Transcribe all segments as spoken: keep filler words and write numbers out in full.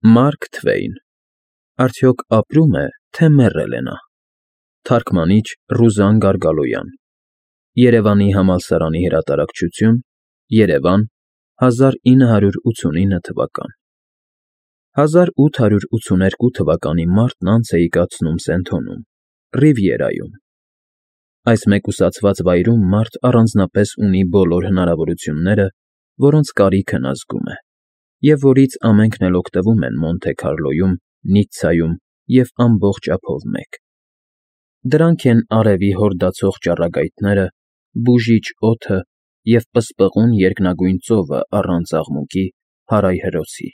Մարկ Թվեյն, արդյոք ապրո՞ւմ է, թե մեռել է նա։ Թարգմանիչ՝ Ռուզան Գարգալոյան, Երևանի համալսարանի հրատարակչություն, Երևան, հազար ինը հարյուր ութսունինը թվական հազար ութ հարյուր ութսուներկու թվականի մարտն անց էի կացնում Սենթոնում, Ռիվիերայում։ Այս մեկուսացված վայրում մարդ առանձնապես ունի բոլոր հնարավորությունները, որոնց կարիքն ազգում է, և որից ամենքն էլ օգտվում են Մոնթե Քարլոյում, Նիցցայում և ամբողջ ափով մեկ. դրանք են արևի հորդացող ճառագայթները, բուժիչ օդը և պսպղուն երկնագույն ծովը առանց աղմուկի, հարայ հրոսի,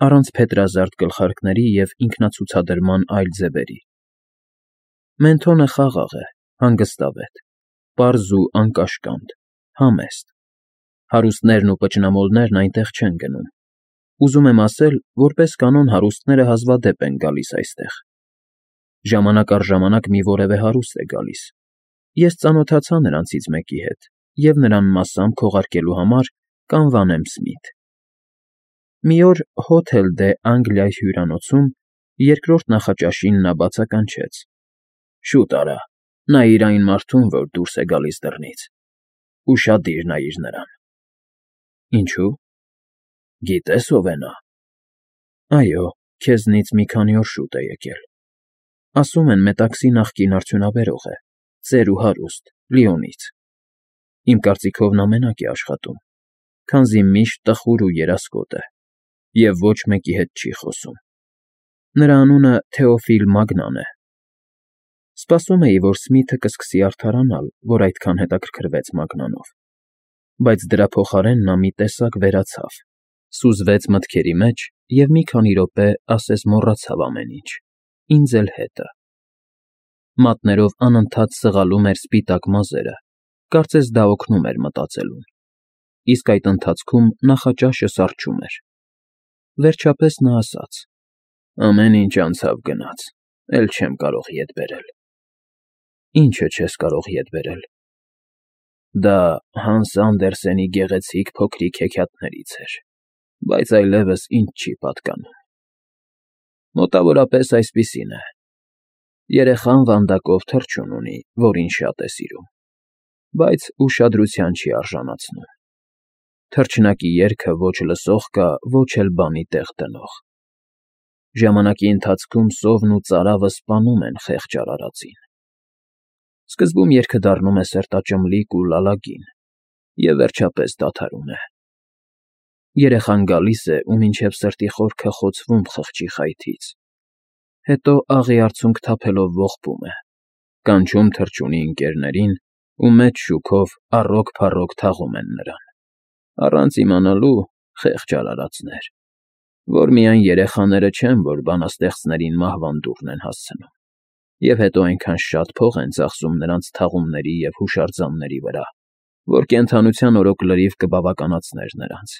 առանց փետրազարդ գլխարկների և ինքնացուցադրման այլ ձևերի։ Մենթոնը խաղաղ է, հանգստավետ, պարզ ու անկաշկանդ, համեստ։ Հարուստներն ու պճնամոլներն այնտեղ չեն գնում։ Ուզում եմ ասել, որպես կանոն հարուստները հազվադեպ են գալիս այստեղ։ Ժամանակ առ ժամանակ մի որևէ հարուստ է գալիս։ Ես ծանոթացա նրանցից մեկի հետ և նրան մասամբ քողարկելու համար կանվանեմ Սմիթ։ Մի օր Հոթել դե Անգլիա հյուրանոցում երկրորդ նախաճաշին նա բացականչեց. «Շուտ արա, նայիր այն մարդուն, որ դուրս է գալիս դռնից, ուշադիր նայիր նրան»։ Ինչո՞ւ։ Գիտե՞ս ով է նա։ Այո, քեզնից մի քանի օր շուտ է եկել։ Ասում են Մետաքսի նախկին արդյունաբերող է, ծեր ու հարուստ, Լիոնից։ Իմ կարծիքով նա մենակ է աշխատում, քանզի միշտ տխուր ու երասկոտ է և ոչ մեկի հետ չի խոսում։ Նրա անունը Թեոֆիլ Մագնան է։ Սպասում էի, որ Սմիթը կսկսի արդարանալ, որ այդքան հետաքրքրվեց Մագնանով, բայց դրա փոխարեն նա մի տեսակ վերացավ, սուզվեց մտքերի մեջ և մի քանի րոպե ասես մոռացավ ամեն ինչ, ինձ էլ հետը։ Մատներով անընդհատ սղալում էր սպիտակ մազերը, կարծես դա օգնում էր մտածելուն, իսկ այդ ընթացքում նախաճաշը սառչում էր։ Վերջապես նա ասաց. «Ամեն ինչ անցավ գնաց, էլ չեմ կարող ետ բերել»։ Ի՞նչը չես կարող ետ բերել։ Դա Հանս Անդերսենի գեղեցիկ փոքրիկ հեքիաթներից էր, բայց այլևս ինձ չի պատկանում։ Մոտավորապես այսպիսին է. երեխան վանդակով թռչուն ունի, որին շատ է սիրում, բայց ուշադրության չի արժանացնում։ Թռչնակի երգը ոչ լսող կա, ոչ էլ բանի տեղ դնող։ Ժամանակի ընթացքում սովն ու ծարավը սպանում են խեղճ արարածին։ Սկզբում երգը դառնում է սրտաճմլիկ ու լալագին և վերջապես դադարում է։ Երեխան գալիս է ու մինչև սրտի խորքը խոցվում խղճի խայթից, հետո աղի արցունք թափելով ողբում է, կանչում թռչունի ընկերներին ու մեծ շուքով առոք֊փառոք թաղում են նրան, առանց իմանալու, խեղճ արարածներ, որ միայն երեխաները չեն, որ բանաստեղծներին մահվան դուռն են հասցնում, և հետո այնքան շատ փող են ծախսում նրանց թաղումների և հուշարձանների վրա, որ կենդանության օրոք լրիվ կբավականացներ նրանց։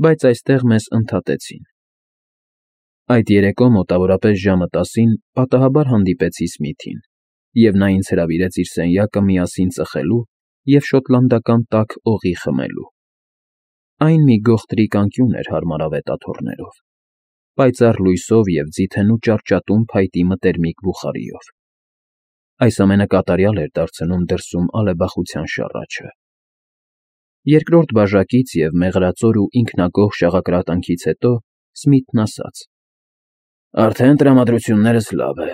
Բայց այստեղ մեզ ընդհատեցին։ Այդ երեկո մոտավորապես ժամը տասին պատահաբար հանդիպեցի Սմիթին, և նա ինձ հրավիրեց իր սենյակը միասին ծխելու և շոտլանդական տաք օղի խմելու։ Այն մի գողտրիկ անկյուն էր հարմարավետ աթոռներով, պայծառ լույսով և ձիթենու ճարճատուն փայտի մտերմիկ բուխարիով։ Այս ամենը կատարյալ էր դարձնում դրսում ալեբախության շառաչը։ Երկրորդ բաժակից և մեղրածոր ու ինքնագոհ շաղակրատանքից հետո Սմիթն ասաց. «Արդեն տրամադրություններս լավ է,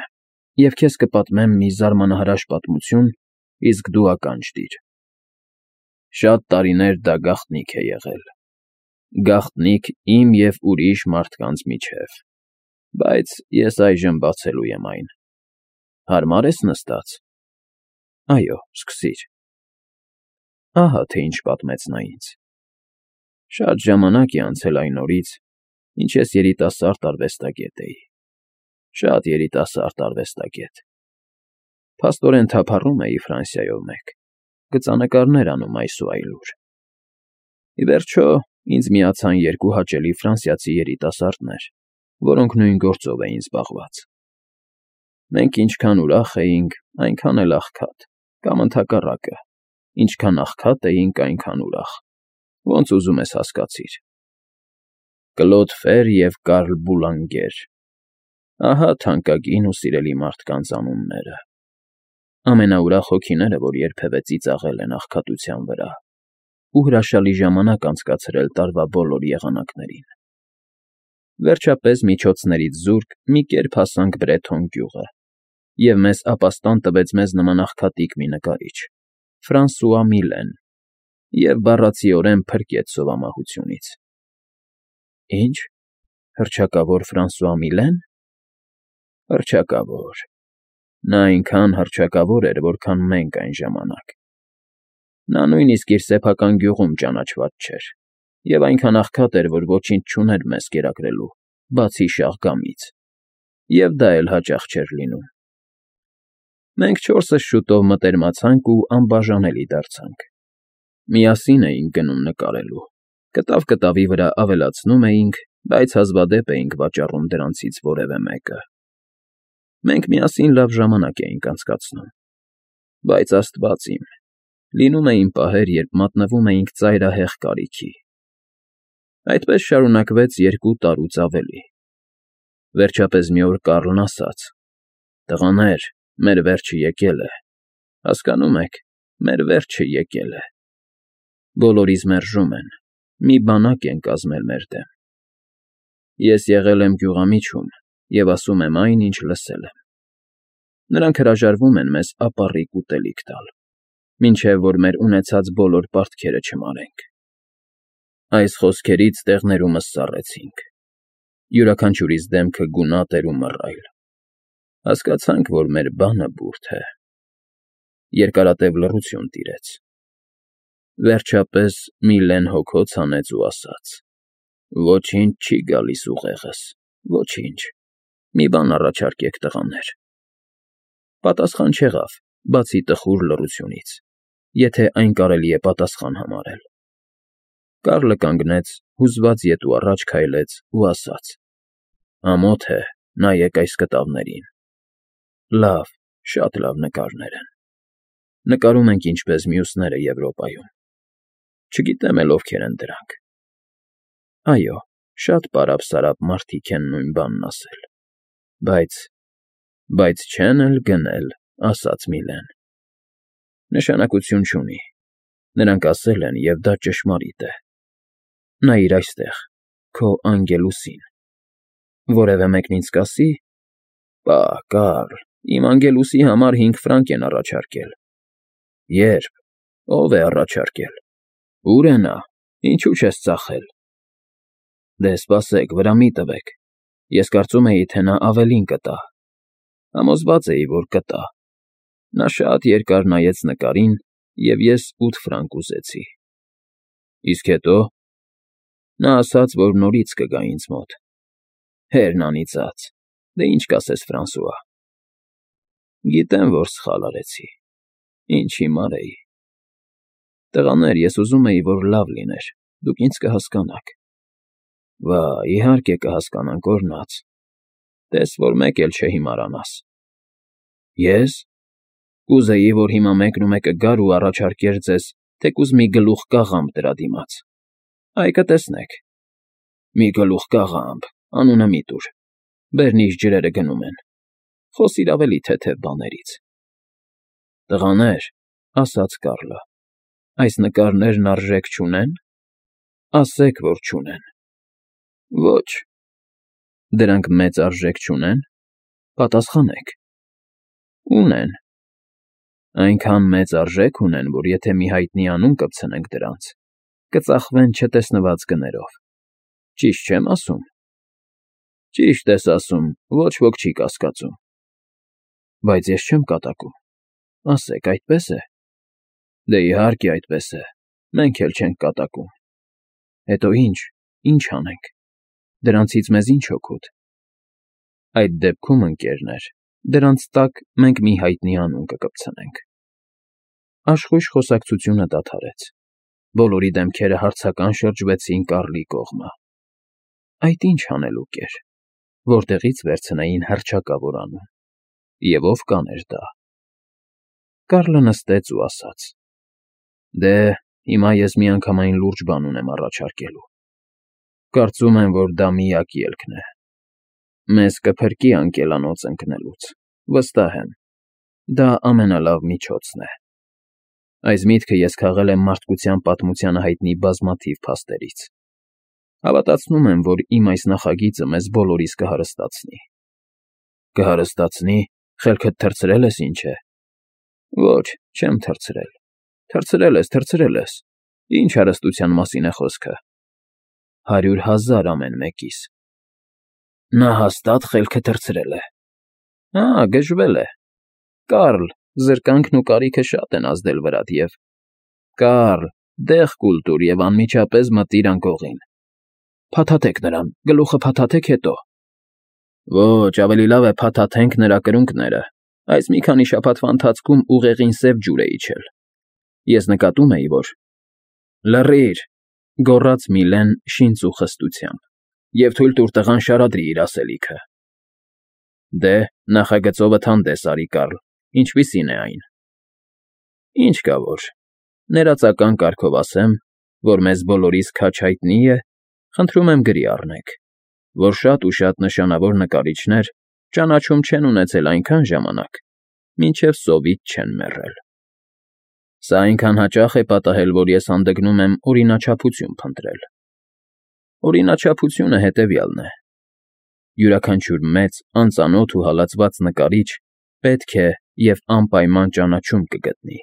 և քեզ կպատմեմ մի զարմանահրաշ պատմություն, իսկ դու ականջ դիր։ Շատ տարիներ դա գաղտնիք է եղել, գաղտնիք իմ և ուրիշ մարդկանց միջև, բայց ես այժմ բացելու եմ այն։ Հարմար ես նստած։ Այո, սկսիր»։ Ահա թե ինչ պատմեց նա ինձ. Շատ ժամանակ է անցել այն օրից, ինչ ես երիտասարդ արվեստագետ էի, շատ երիտասարդ արվեստագետ։ Փաստորեն թափառում էի Ֆրանսիայով մեկ, գծանկարներ անում այս ու այլուր։ Ի վերջո, ինձ միացան երկու հաճելի ֆրանսիացի երիտասարդներ, որոնք նույն գործով էին զբաղված։ Մենք ինչքան ուրախ էինք, այնքան էլ աղքատ, կամ ընդհակառակը, ինչքան աղքատ էինք, այնքան ուրախ, ոնց ուզում ես հասկացիր։ Կլոդ Ֆեր և Կարլ Բուլանգեր, ահա թանկագին ու սիրելի մարդկանց անունները, ամենաուրախ հոգիները, որ երբևէ ծիծաղել են աղքատության վրա ու հրաշալի ժամանակ անցկացրել տարվա բոլոր եղանակներին։ Վերջապես միջոցներից զուրկ մի կերպ հասանք Բրեթոն գյուղը, և մեզ ապաստան տվեց մեզ նման աղքատիկ մի նկարիչ, Ֆրանսուଆ Միլեն, և բառացիորեն փրկեց սովամահությունից։ ֊ Ի՞նչ, հռչակավոր Ֆրանսուଆ Միլե՞ն։ Հռչակավոր։ Նա այնքան հռչակավոր էր, որքան մենք այն ժամանակ։ Նա նույնիսկ իր սեփական գյուղում ճանաչված չէր և այնքան աղքատ էր, որ ոչինչ չուներ մեզ կերակրելու, բացի շաղգամից, և դա էլ հաճախ չէր լինում։ Մենք չորսս շուտով մտերմացանք ու անբաժանելի դարձանք։ Միասին էինք գնում նկարելու, կտավ կտավի վրա ավելացնում էինք, բայց հազվադեպ էինք վաճառում դրանցից որևէ մեկը։ Մենք միասին լավ ժամանակ էինք անցկացնում։ Բայց, աստված իմ, լինում էին պահեր, երբ մատնվում էինք ծայրահեղ կարիքի։ Այդպես շարունակվեց երկու տարուց ավելի։ Վերջապես մի օր Կառլն ասաց. «Տղաներ, մեր վերջը եկել է, հասկանո՞ւմ եք, մեր վերջը եկել է։ Բոլորիս մերժում են, մի բանակ են կազմել մեր դեմ։ Ես եղել եմ գյուղամիջում և ասում եմ այն, ինչ լսել եմ։ Նրանք հրաժարվում են մեզ ապառիկ ուտելիք տալ, մինչև որ մեր ունեցած բոլոր պարտքերը չմարենք»։ Այս խոսքերից տեղներումս սառեցինք։ Յուրաքանչյուրիս դեմքը գունատ էր ու մռայլ։ Հասկացանք, որ մեր բանը բուրդ է։ Երկարատև լռություն տիրեց։ Վերջապես Միլեն հոգոց հանեց ու ասաց. «Ոչինչ չի գալիս ուղեղս, ոչինչ, մի բան առաջարկեք, տղաներ»։ Պատասխան չեղավ, բացի տխուր լռությունից, եթե այն կարելի է պատասխան համարել։ Կառլը կանգնեց, հուզված ետ ու առաջ քայլեց ու ասաց. «Ամոթ է, նայեք այս կտավներին։ Լավ, շատ լավ նկարներ են։ Նկարում ենք ինչպես մյուսները Եվրոպայում։ Չգիտեմ էլ ովքեր են դրանք։ Այո, շատ պարապ֊սարապ մարդիկ են նույն բանն ասել։ Բայց… բայց չեն էլ գնել», ասաց Միլեն։ Նշանակություն չունի։ Նրանք ասել են, և դա ճշմարիտ է։ Նայիր այստեղ, քո անգելուսին։ Որևէ մեկն ինձ կասի… Պա, Կառլ, իմ անգելուսի համար հինգ ֆրանկ են առաջարկել։ Ե՞րբ, ո՞վ է առաջարկել։ Ո՞ւր է նա, ինչու չես ծախել։ Դե սպասեք, վրա մի տվեք, ես կարծում էի, թե նա ավելին կտա։ Համոզված էի, որ կտա։ Նա շատ երկար նայեց նկարին, և ես ութ ֆրանկ ուզեցի։ Իսկ հետո… Նա ասաց, որ նորից կգա ինձ մոտ։ Հերն անիծած, դե ինչ կասես, Ֆրանսուଆ։ Գիտեմ, որ սխալ արեցի, ինչ հիմար էի։ Տղաներ, ես ուզում էի, որ լավ լիներ, դուք ինձ կհասկանաք։ Վա, իհարկե կհասկանանք, օրհնած։ Տես, որ մեկ էլ չհիմարանաս։ Ե՞ս։ Կուզեի, որ հիմա մեկն ու մեկը գար ու առաջարկեր ձեզ թեկուզ մի գլուխ կաղամբ դրա դիմաց։ Այ կտեսնեք։ Մի գլուխ կաղամբ, անունը մի տուր, բերնիչ ջրերը գնում են։ Խոսիր ավելի թեթև բաներից։ Տղաներ, ասաց Կառլը, այս նկարներն արժեք չունե՞ն։ Ասեք, որ չունեն։ Ոչ։ Դրանք մեծ արժեք չունե՞ն։ Պատասխանեք։ Ունեն։ Այնքան մեծ արժեք ունեն, որ եթե մի հայտնի անուն կպցնենք դրանց, կծախվեն չտեսնված գներով։ Ճիշտ չե՞մ ասում։ Ճիշտ ես ասում, ոչ ոք չի կասկածում։ Բայց ես չեմ կատակում։ Ասեք, այդպե՞ս է։ Դե իհարկե այդպես է, մենք էլ չենք կատակում։ Հետո ի՞նչ, ի՞նչ անենք։ Դրանցից մեզ ի՞նչ օգուտ։ Այդ դեպքում, ընկերներ, դրանց տակ մենք մի հայտնի անուն կկպցնենք։ Աշխույժ խոսակցությունը դադարեց։ Բոլորի դեմքերը հարցական շրջվեցին Կառլի կողմը։ Այդ ի՞նչ հանելուկ էր, որտեղի՞ց վերցնեին հռչակավոր անուն, և ով կաներ դա։ Կառլը նստեց ու ասաց. Դե, հիմա ես միանգամայն լուրջ բան ունեմ առաջարկելու։ Կարծում եմ, որ դա միակ ելքն է։ Մեզ կփրկի անկելանոց ընկնելուց, վստահ եմ, դա ամենալավ միջոցն է։ Այս միտքը ես քաղել եմ մարդկության պատմությանը հայտնի բազմաթիվ փաստերից։ Հավատացնում եմ, որ իմ այս նախագիծը մեզ բոլորիս կհարստացնի։ Կհարստացնի, խելքդ թռցրել ես, ինչ է։ Ոչ, չեմ թռցրել։ Թռցրել ես, թռցրել ես։ Ինչ հարստության մասին է խոսքը։ Հարյուր հազար ամեն մեկիս։ Նա հաստատ խելքը թռցրել է։ Ահա, գժվել է։ Կարլ, զրկանքն ու կարիքը շատ են ազդել վրատ և… Կարլ, դեղ կուլ տուր և անմիջապես մտիր անկողին։ Փաթաթեք նրան, գլուխը փաթաթեք, հետո… Ոչ, ավելի լավ է փաթաթենք նրա կրունկները, այս մի քանի շաբաթվա ընթացքում ուղեղին սև ջուր է իջել։ Ես նկատում էի, որ… Լռի՛ր,֊ գոռաց Միլեն շինծ ու խստությամբ,֊ և թույլ տուր տղան շարադրի իր ասելիքը։ Դե, նախագծովդ հանդես արի, Կարլ, ինչպիսի՞ն է այն։ Ինչ կա որ, ներածական կարգով ասեմ, որ մեզ բոլորիս քաջ հայտնի է, խնդրում եմ գրի առնեք, որ շատ ու շատ նշանավոր նկարիչներ ճանաչում չեն ունեցել այնքան ժամանակ, մինչև սովից չեն մեռել։ Սա այնքան հաճախ է պատահել, որ ես հանդգնում եմ օրինաչափություն փնտրել։ Օրինաչափությունը հետևյալն է. յուրաքանչյուր մեծ, անծանոթ ու հալածված նկարիչ պետք է և անպայման ճանաչում կգտնի,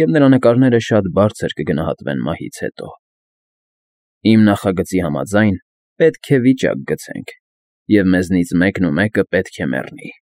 և նրա նկարները շատ բարձր կգնահատվեն մահից հետո։ Իմ նախագծի համաձայն, պետք է վիճակ գցենք, և մեզնից մեկն ու մեկը պետք է մեռնի։